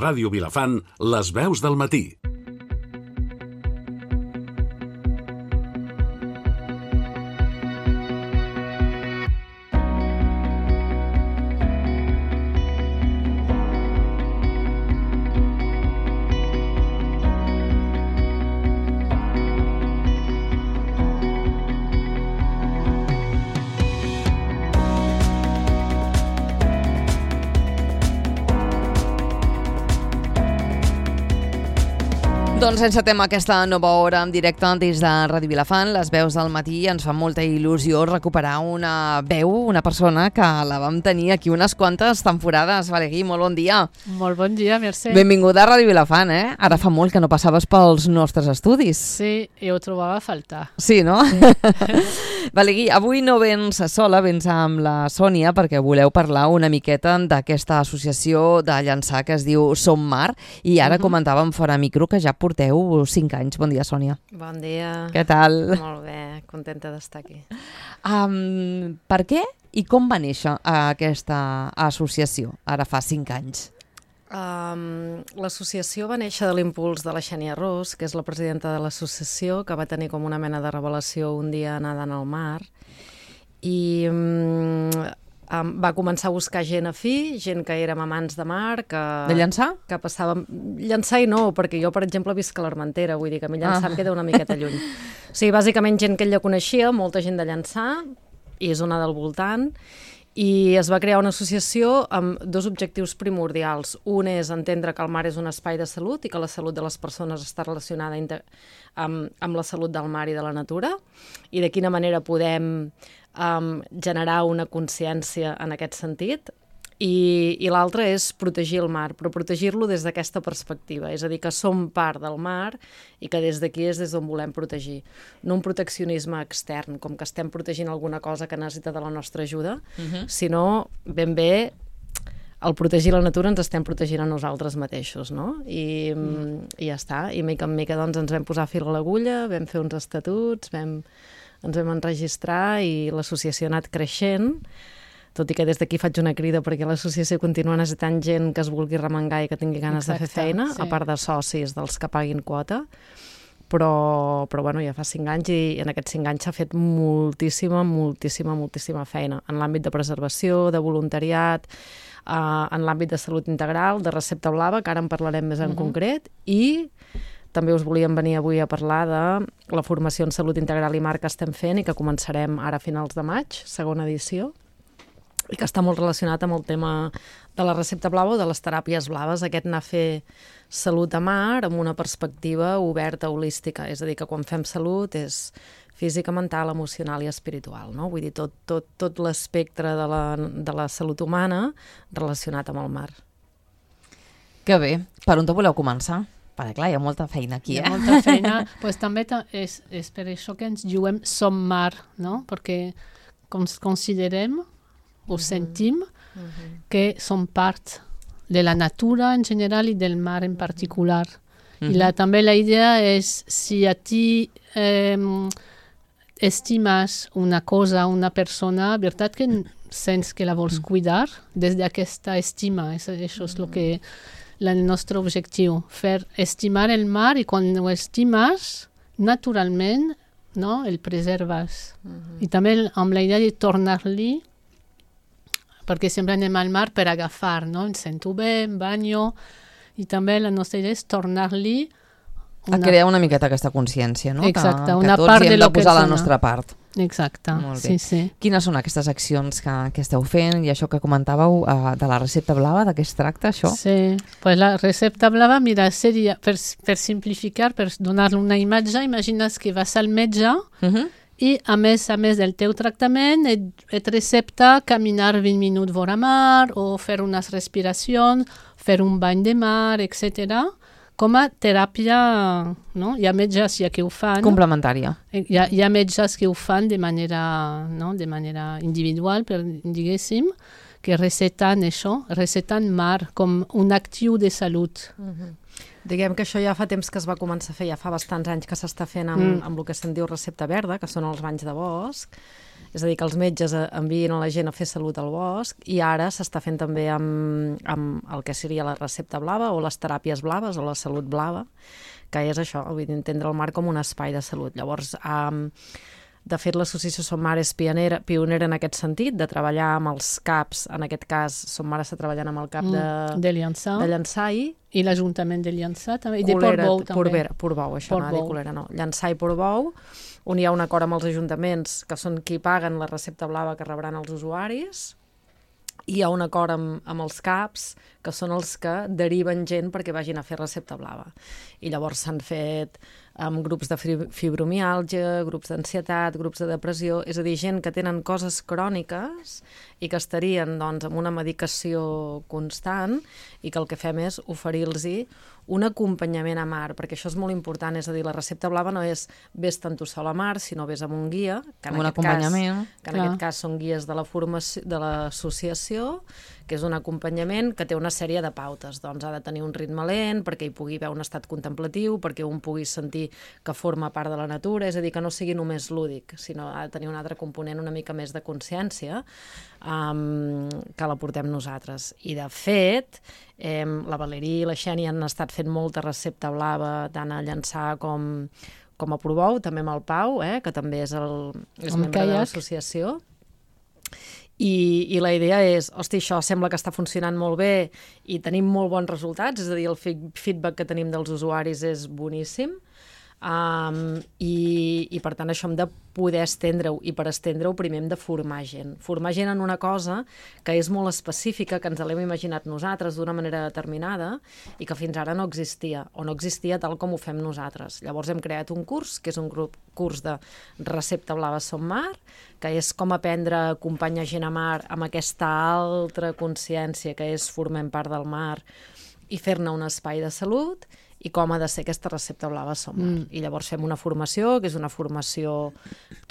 Ràdio Vilafant, les veus del matí. Doncs encetem aquesta nova hora en directe des de Ràdio Vilafant, les veus del matí. Ens fa molta il·lusió recuperar una veu, una persona que la vam tenir aquí unes quantes temporades. Valegui, molt bon dia. Molt bon dia, Mercè. Benvinguda a Ràdio Vilafant, eh? Ara fa molt que no passaves pels nostres estudis. Sí, i ho trobava a faltar. Sí, no? Sí. Valegui, avui no vens sola, vens amb la Sònia perquè voleu parlar una miqueta d'aquesta associació de llançar que es diu Som Mar, i ara comentàvem fora micro que ja porteu 5 anys. Bon dia, Sònia. Bon dia. Què tal? Molt bé, contenta d'estar aquí. Per què i com va néixer aquesta associació, ara fa 5 anys? L'associació va néixer de l'impuls de la Xènia Ros, que és la presidenta de l'associació, que va tenir com una mena de revelació un dia nedant al mar, i va començar a buscar gent afí, gent que érem amants de mar, que... De llançar? Que passàvem... Llançar i no, perquè jo, per exemple, visc a l'Armentera, vull dir que a mi llançar em queda una miqueta lluny. O sigui, bàsicament gent que ella coneixia, molta gent de llançar, i zona del voltant, i es va crear una associació amb 2 objectius primordials. Un és entendre que el mar és un espai de salut i que la salut de les persones està relacionada amb la salut del mar i de la natura, i de quina manera podem generar una consciència en aquest sentit. I l'altre és protegir el mar, però protegir-lo des d'aquesta perspectiva, és a dir, que som part del mar i que des d'aquí és des d'on volem protegir. No un proteccionisme extern, com que estem protegint alguna cosa que necessita de la nostra ajuda, sinó ben bé al protegir la natura ens estem protegint a nosaltres mateixos, no? I ja està, i mica en mica doncs, ens vam posar fil a l'agulla, vam fer uns estatuts, ens vam enregistrar i l'associació ha anat creixent, tot i que des d'aquí faig una crida perquè l'associació continua necessitant gent que es vulgui remengar i que tingui ganes de fer feina, a part de socis dels que paguin quota, però bueno, ja fa 5 anys i en aquests 5 anys s'ha fet moltíssima feina en l'àmbit de preservació, de voluntariat, en l'àmbit de salut integral, de recepta blava, que ara en parlarem més en concret, i també us volíem venir avui a parlar de la formació en salut integral i mar que estem fent i que començarem ara a finals de maig, segona edició, i que està molt relacionat amb el tema de la recepta blava o de les teràpies blaves, aquest anar a fer salut a mar amb una perspectiva oberta, holística, és a dir, que quan fem salut és física, mental, emocional i espiritual, no? Vull dir, tot l'espectre de la salut humana relacionat amb el mar. Que bé. Per on te voleu començar? Perquè clar, hi ha molta feina aquí, Hi ha molta feina. Pues també és per això que ens juguem Som Mar, no? Perquè considerem o sentim que som part de la natura en general i del mar en particular. I també la idea és, si a ti estimes una cosa, una persona, veritat que sents que la vols cuidar des d'aquesta estima. Això és el nostre objectiu, fer estimar el mar, i quan ho estimes, naturalment, no, el preserves. I també amb la idea de tornar-li, perquè sempre anem al mar per agafar, no? Em sento bé, em banyo, i també la nostra idea és tornar-li a crear una miqueta aquesta consciència, no? Exacte, una part de lo que posar la nostra part. Exacte, sí. Quines són aquestes accions que esteu fent, i això que comentàveu de la recepta blava, de què es tracta això? Sí, pues la recepta blava, mira, seria, per simplificar, per donar-li una imatge, imagines que vas al metge i a més del teu tractament et recepta caminar 20 minuts vora mar o fer unes respiracions, fer un bany de mar, etc. Com a teràpia, no? Hi ha metges que ho fan. Complementària. Hi ha metges que ho fan de manera individual, diguéssim, que receten mar com un actiu de salut. Diguem que això ja fa temps que es va començar a fer, ja fa bastants anys que s'està fent amb el que se'n diu recepta verda, que són els banys de bosc, és a dir, que els metges envien a la gent a fer salut al bosc, i ara s'està fent també amb el que seria la recepta blava o les teràpies blaves o la salut blava, que és això, vull dir, entendre el mar com un espai de salut. Llavors, de fet, l'associació Som Mar és pionera en aquest sentit, de treballar amb els CAPs, en aquest cas Som Mar està treballant amb el CAP de Llançà i l'Ajuntament de Llançà també, i de Portbou també. Portbou, això no, de Colera no. Llançà i Portbou, on hi ha un acord amb els ajuntaments, que són qui paguen la recepta blava que rebran els usuaris, i hi ha un acord amb els CAPs, que són els que deriven gent perquè vagin a fer recepta blava. I llavors s'han fet amb grups de fibromiàlgia, grups d'ansietat, grups de depressió, és a dir, gent que tenen coses cròniques i que estarien doncs, amb una medicació constant i que el que fem és oferir-los un acompanyament a mar, perquè això és molt important, és a dir, la recepta blava no és vés-te'n tu sol a mar, sinó vés amb un guia, que en aquest cas són guies de l'associació, que és un acompanyament que té una sèrie de pautes. Doncs ha de tenir un ritme lent, perquè hi pugui haver un estat contemplatiu, perquè un pugui sentir que forma part de la natura, és a dir, que no sigui només lúdic, sinó ha de tenir un altre component una mica més de consciència, que la portem nosaltres. I de fet, la Valeria i la Xènia han estat fent molta recepta blava, tant a Llançà com a Portbou, també amb el Pau, que també és membre de l'associació. I la idea és, hosti, això sembla que està funcionant molt bé i tenim molt bons resultats, és a dir, el feedback que tenim dels usuaris és boníssim, i per tant això hem de poder estendre-ho, i per estendre-ho primer hem de formar gent en una cosa que és molt específica, que ens l'hem imaginat nosaltres d'una manera determinada i que fins ara no existia, o no existia tal com ho fem nosaltres. Llavors hem creat un curs, que és un curs de recepta blava Som Mar, que és com aprendre a acompanyar gent a mar amb aquesta altra consciència que és formem part del mar i fer-ne un espai de salut, i com ha de ser aquesta recepta blava Som Mar. I llavors fem una formació, que és una formació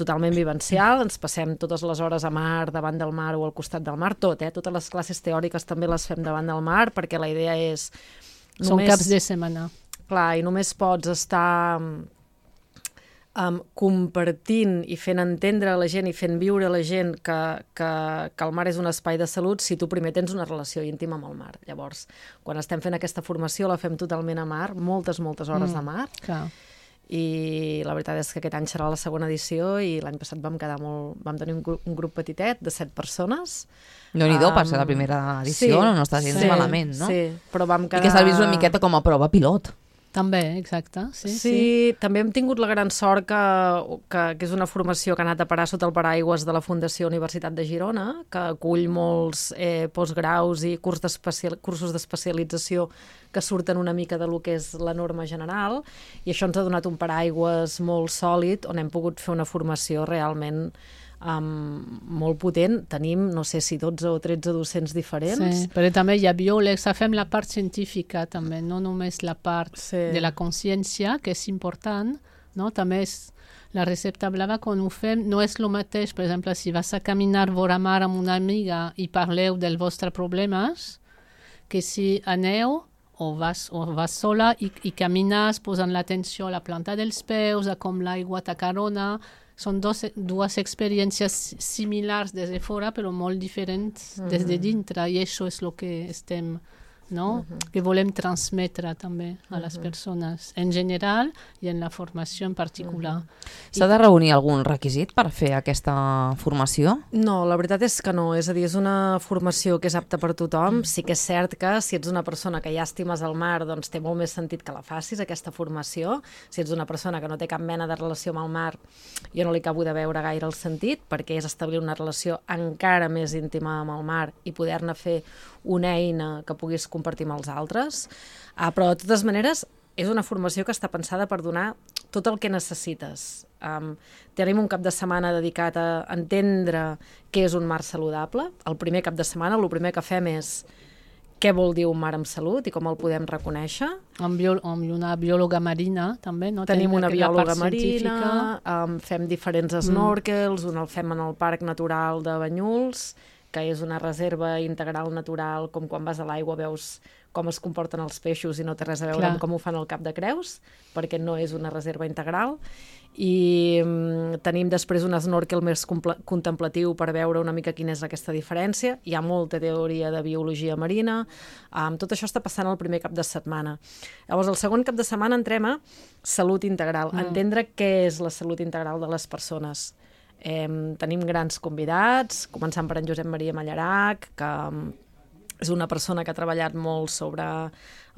totalment vivencial, ens passem totes les hores a mar, davant del mar o al costat del mar, totes les classes teòriques també les fem davant del mar, perquè la idea és... Són caps de setmana. Clar, i només pots estar compartint i fent entendre a la gent i fent viure a la gent que el mar és un espai de salut si tu primer tens una relació íntima amb el mar. Llavors, quan estem fent aquesta formació la fem totalment a mar, moltes hores de mar, i la veritat és que aquest any serà la segona edició i l'any passat vam tenir un grup petitet de 7 persones. Déu-n'hi-do, per ser la primera edició, no està gens malament, no? Sí, però vam quedar... I que s'ha vist una miqueta com a prova pilot. També, exacte. Sí, també hem tingut la gran sort que és una formació que ha anat a parar sota el paraigües de la Fundació Universitat de Girona, que acull molts postgraus i cursos d'especialització que surten una mica de lo que és la norma general, i això ens ha donat un paraigües molt sòlid on hem pogut fer una formació realment molt potent. Tenim, no sé si 12 o 13 docents diferents. Sí, però també hi ha biòlegs, fem la part científica també, no només la part de la consciència, que és important, no? També és la recepta blava, quan ho fem, no és el mateix, per exemple, si vas a caminar vora mar amb una amiga i parleu dels vostres problemes, que si aneu o vas sola i camines posant l'atenció a la planta dels peus, a com l'aigua t'acarona. Són dues experiències similars des de fora, però molt diferents des de dintre, i això és el que estem, no? Que volem transmetre també a les persones en general i en la formació en particular. S'ha de reunir algun requisit per fer aquesta formació? No, la veritat és que no. És a dir, és una formació que és apta per tothom. Sí que és cert que si ets una persona que ja estimes el mar, doncs té molt més sentit que la facis, aquesta formació. Si ets una persona que no té cap mena de relació amb el mar, jo no li acabo de veure gaire el sentit, perquè és establir una relació encara més íntima amb el mar i poder-ne fer una eina que puguis compartir amb els altres, però de totes maneres és una formació que està pensada per donar tot el que necessites. Tenim un cap de setmana dedicat a entendre què és un mar saludable. El primer cap de setmana el primer que fem és què vol dir un mar amb salut i com el podem reconèixer. Amb una biòloga marina, també, no? Tenim una biòloga marina, fem diferents snorkels, un el fem en el Parc Natural de Banyuls, que és una reserva integral natural, com quan vas a l'aigua veus com es comporten els peixos i no té res a veure amb com ho fan al Cap de Creus, perquè no és una reserva integral. I tenim després un snorkel més contemplatiu per veure una mica quina és aquesta diferència. Hi ha molta teoria de biologia marina. Tot això està passant el primer cap de setmana. Llavors, el segon cap de setmana entrem a salut integral, entendre què és la salut integral de les persones. Tenim grans convidats, començant per en Josep Maria Mallarac, que és una persona que ha treballat molt sobre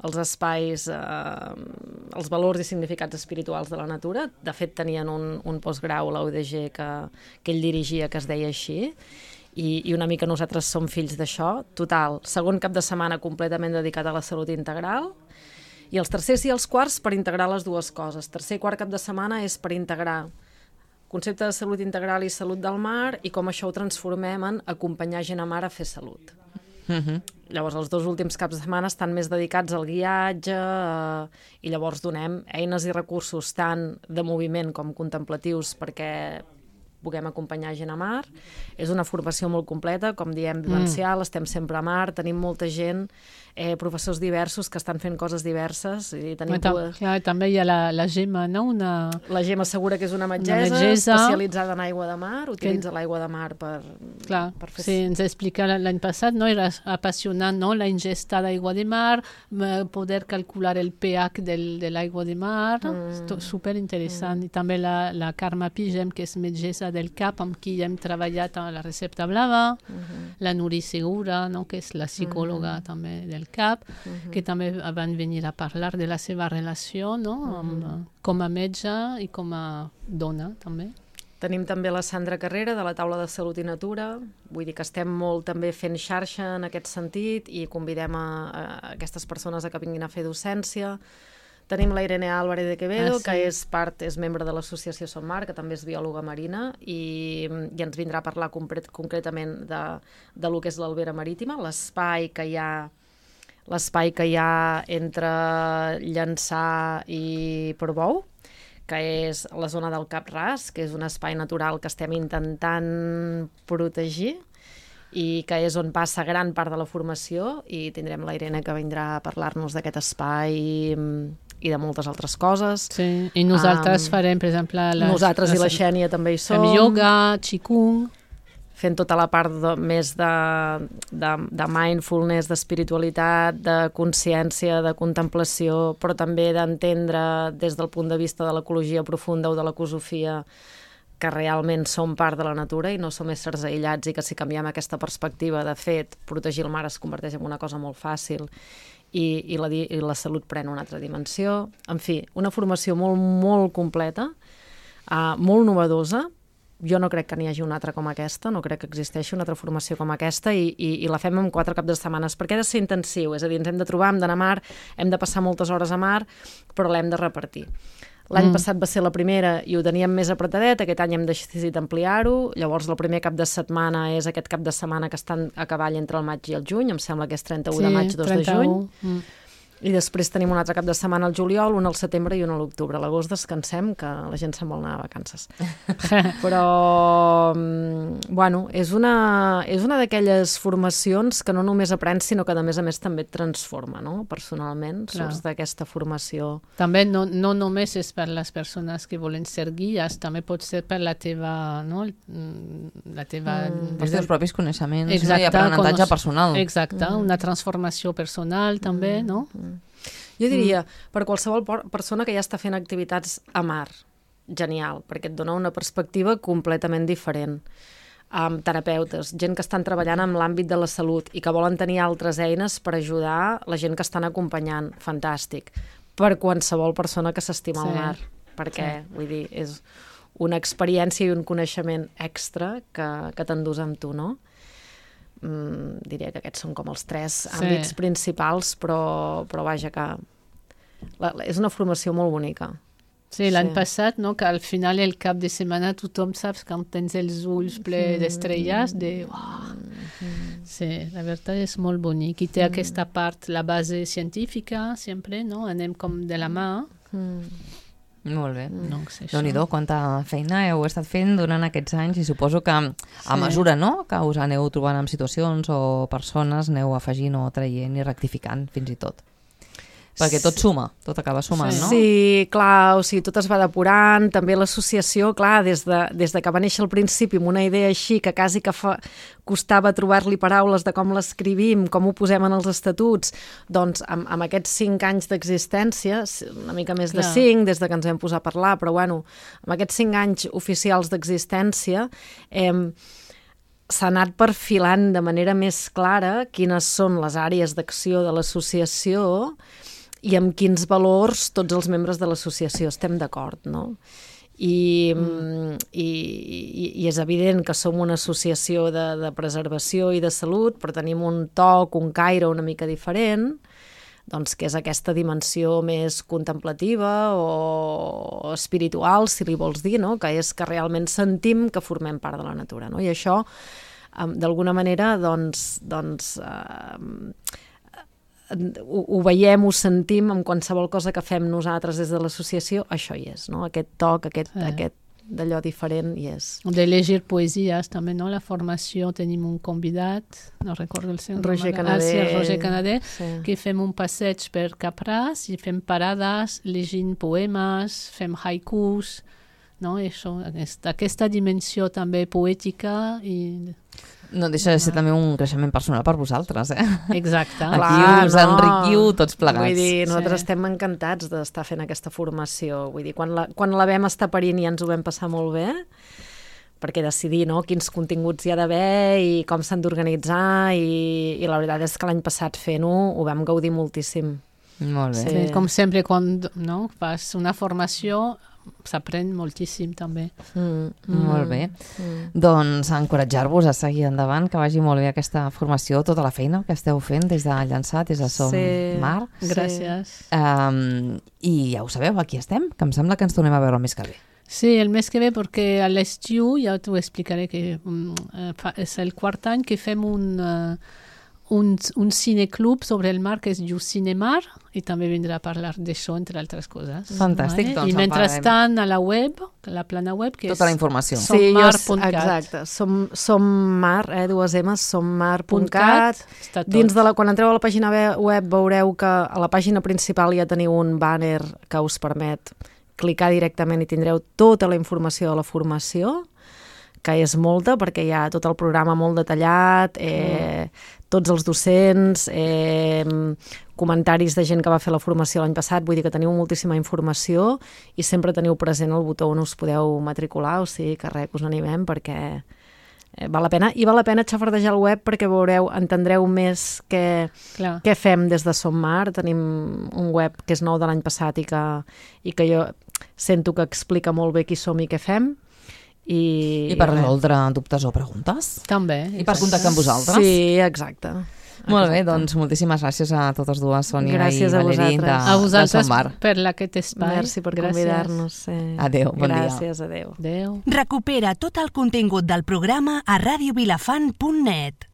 els espais, els valors i significats espirituals de la natura. De fet, tenien un postgrau a la UDG que ell dirigia, que es deia així, i una mica nosaltres som fills d'això. Total, segon cap de setmana completament dedicat a la salut integral, i els tercers i els quarts per integrar les dues coses. Tercer i quart cap de setmana és per integrar concepte de salut integral i salut del mar i com això ho transformem en acompanyar gent a mar a fer salut. Llavors els 2 últims caps de setmana estan més dedicats al guiatge i llavors donem eines i recursos tant de moviment com contemplatius perquè puguem acompanyar gent a mar. És una formació molt completa, com diem, vivencial, estem sempre a mar, tenim molta gent, professors diversos que estan fent coses diverses. I tenim també hi ha la Gemma, no? La Gemma Segura, que és una metgessa especialitzada en aigua de mar, utilitza l'aigua de mar per fer... Sí, ens explica l'any passat, no? Era apassionant, no? La ingesta d'aigua de mar, poder calcular el pH de l'aigua de mar, superinteressant. I també la Carme Pigem, que és metgessa del CAP, amb qui hem treballat a la recepta blava, la Nuri Segura, no? Que és la psicòloga també del CAP, que també van venir a parlar de la seva relació, no? Com a metge i com a dona també. Tenim també la Sandra Carrera de la Taula de Salut i Natura, vull dir que estem molt també fent xarxa en aquest sentit i convidem a aquestes persones a que vinguin a fer docència. Tenim la Irene Álvarez de Quevedo, que és membre de l'associació Som Mar, que també és biòloga marina, i ens vindrà a parlar concretament de lo que és l'Albera Marítima, l'espai que hi ha entre Llançà i Portbou, que és la zona del Cap Ras, que és un espai natural que estem intentant protegir i que és on passa gran part de la formació, i tindrem la Irene que vindrà a parlar-nos d'aquest espai i de moltes altres coses. Sí, i nosaltres farem, per exemple... Nosaltres i la Xènia també hi som. Fem ioga, qigong... Fent tota la part més de mindfulness, d'espiritualitat, de consciència, de contemplació, però també d'entendre des del punt de vista de l'ecologia profunda o de l'ecosofia que realment som part de la natura i no som éssers aïllats, i que si canviem aquesta perspectiva, de fet, protegir el mar es converteix en una cosa molt fàcil i la salut pren una altra dimensió. En fi, una formació molt, molt completa, molt novedosa. Jo no crec que n'hi hagi una altra com aquesta, no crec que existeixi una altra formació com aquesta, i la fem en 4 caps de setmanes, perquè ha de ser intensiu, és a dir, ens hem de trobar, hem d'anar a mar, hem de passar moltes hores a mar, però l'hem de repartir. L'any passat va ser la primera i ho teníem més apretadet, aquest any hem decidit ampliar-ho, llavors el primer cap de setmana és aquest cap de setmana que estan a cavall entre el maig i el juny, em sembla que és 31 de maig, 2 de juny. I després tenim un altre cap de setmana al juliol, un al setembre i un a l'octubre. A l'agost descansem, que la gent se'n vol anar a vacances. Però, bueno, és una d'aquelles formacions que no només aprens, sinó que a més també et transforma, no? Personalment, surts d'aquesta formació. També no només és per les persones que volen ser guies, també pot ser per la teva... No? Els teus propis coneixements, i aprenentatge personal. Exacte, una transformació personal també, no? Jo diria, per qualsevol persona que ja està fent activitats a mar, genial, perquè et dona una perspectiva completament diferent. Terapeutes, gent que estan treballant en l'àmbit de la salut i que volen tenir altres eines per ajudar la gent que estan acompanyant, fantàstic. Per qualsevol persona que s'estima al mar, perquè, vull dir, és una experiència i un coneixement extra que t'endús amb tu, no? Diria que aquests són com els 3 àmbits principals, però vaja, que és una formació molt bonica. Sí, l'any passat, no, que al final el cap de setmana tothom saps que tens els ulls ple d'estrelles, Sí, la veritat és molt bonic. I té aquesta part, la base científica, sempre, no? Anem com de la mà. Molt bé. Doncs això. Déu-n'hi-do, quanta feina heu estat fent durant aquests anys i suposo que a mesura, no?, que us aneu trobant en situacions o persones, aneu afegint o traient i rectificant fins i tot. Perquè tot suma, tot acaba sumant, no? Sí, clar, o sigui, tot es va depurant, també l'associació, clar, des de que va néixer al principi amb una idea així, que quasi que costava trobar-li paraules de com l'escrivim, com ho posem en els estatuts, doncs amb aquests 5 anys d'existència, una mica més de 5, des de que ens vam posar a parlar, però bueno, amb aquests 5 anys oficials d'existència, s'ha anat perfilant de manera més clara quines són les àrees d'acció de l'associació i amb quins valors tots els membres de l'associació estem d'acord, no? I és evident que som una associació de preservació i de salut, però tenim un toc, un caire una mica diferent, doncs que és aquesta dimensió més contemplativa o espiritual, si li vols dir, no? Que és que realment sentim que formem part de la natura, no? I això, d'alguna manera, ho veiem, ho sentim en qualsevol cosa que fem nosaltres des de l'associació, això hi és, no? Aquest toc, aquest d'allò diferent hi és. De llegir poesies també, no? La formació tenim un convidat, no recordo el seu nom. Roger Canader, que fem un passeig per Capràs i fem parades llegint poemes, fem haikus, no? Això, aquesta dimensió també poètica i... No deixa de ser també un creixement personal per vosaltres, Exacte. Aquí us enriquiu tots plegats. Vull dir, nosaltres estem encantats d'estar fent aquesta formació. Vull dir, quan la vam estar parint ja ens ho vam passar molt bé, perquè decidir, no?, quins continguts hi ha d'haver i com s'han d'organitzar i la veritat és que l'any passat fent-ho ho vam gaudir moltíssim. Molt bé. Sí, com sempre, quan fas una formació s'aprèn moltíssim també. Molt bé. Doncs encoratjar-vos a seguir endavant, que vagi molt bé aquesta formació, tota la feina que esteu fent des de Llançà, des de Som Mar. Gràcies. I ja ho sabeu, aquí estem, que em sembla que ens tornem a veure el mes que ve. Sí, el mes que ve, perquè a l'estiu, ja t'ho explicaré, que és el quart any que fem un cineclub sobre el mar que es diu Cinemar i també vindrà a parlar d'això, entre altres coses. Fantàstic, doncs i mentrestant a la web, la plana web, que tota la informació. sommar.cat. Exacte, Sommar, dues M's, sommar.cat. Dins de quan entreu a la pàgina web veureu que a la pàgina principal ja teniu un banner que us permet clicar directament i tindreu tota la informació de la formació, que és molta, perquè hi ha tot el programa molt detallat, tots els docents, comentaris de gent que va fer la formació l'any passat, vull dir que teniu moltíssima informació i sempre teniu present el botó on us podeu matricular, o sigui que res, us animem perquè val la pena. I val la pena xafardejar el web perquè entendreu més què fem des de Som Mar. Tenim un web que és nou de l'any passat i que jo sento que explica molt bé qui som i què fem. I per resoldre dubtes o preguntes. També. I per contactar amb vosaltres. Sí, exacte. Molt bé, doncs moltíssimes gràcies a totes dues, Sònia i Valeri, a vosaltres de Som Mar. per aquest espai. Merci per convidar-nos. Adéu, bon dia. Gràcies, adéu. Adéu. Recupera tot el contingut del programa a radiovilafant.net.